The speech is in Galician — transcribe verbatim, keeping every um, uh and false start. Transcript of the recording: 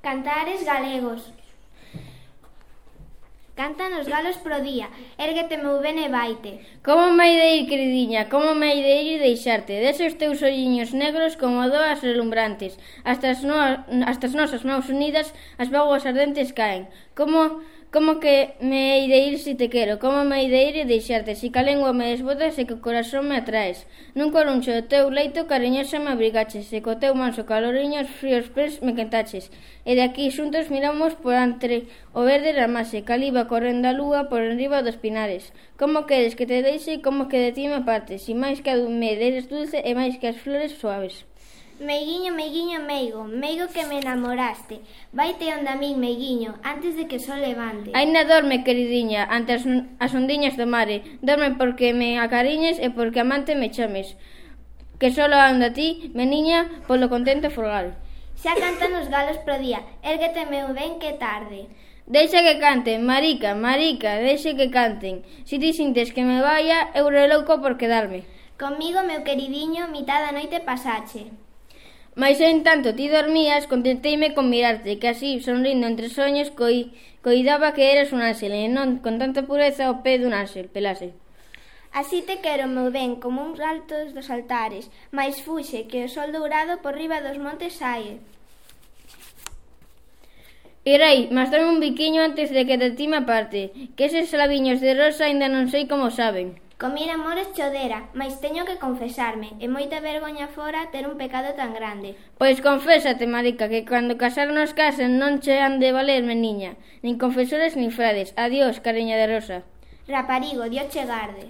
Cantares galegos. Cantan os galos pro día, érguete meu ben e vaite. Como me hai de ir, queridiña, como me hai de ir e deixarte? Dese os teus olliños negros como doas relumbrantes. Hasta as, no, hasta as nosas mãos unidas as vaguas ardentes caen. Como... Como que me hei de ir si te quero? Como me hei de ir e deixarte? Si ca lengua me desbotas e que o corazón me atraes. Nun coruncho do teu leito cariñosa me abrigaches, e co teu manso caloriño os fríos pés me quentaches. E de aquí xuntos miramos por entre o verde ramase, caliba correndo a lúa por enriba dos pinares. Como queres que te deixe, como que de ti me apartes, si máis que a me eres dulce e máis que as flores suaves. Meiguiño, meiguiño, meigo, meigo que me enamoraste. Vaite onde a min, meiguiño, antes de que o sol levante. Aínda dorme, queridiña, ante as, as ondiñas do mare. Dorme porque me acariñes e porque amante me chames. Que solo ando a ti, meniña, polo contento folgar. Xa cantan os galos pro día, érguete meu ben que tarde. Deixa que canten, marica, marica, deixa que canten. Si ti sintes que me vaya, eu relouco por quedarme. Comigo, meu queridiño, mitad da noite pasache. Mais en tanto ti dormías, contenteime con mirarte, que así, sonrindo entre soños, coi, coidaba que eras un ángel, e non con tanta pureza ao pé dun ángel, pelase. Así te quero, meu ben, como uns altos dos altares, mais fuxe, que o sol dourado por riba dos montes sae. Irei, mas dame un biquiño antes de que de ti me aparte, que eses labiños de rosa ainda non sei como saben. Comir amores chodera, mais teño que confesarme, e moita vergoña fora ter un pecado tan grande. Pois confésate, marica, que cando casar nos casen non che han de valer, meniña, nin confesores nin frades. Adiós, cariña de rosa. Raparigo, Dios che garde.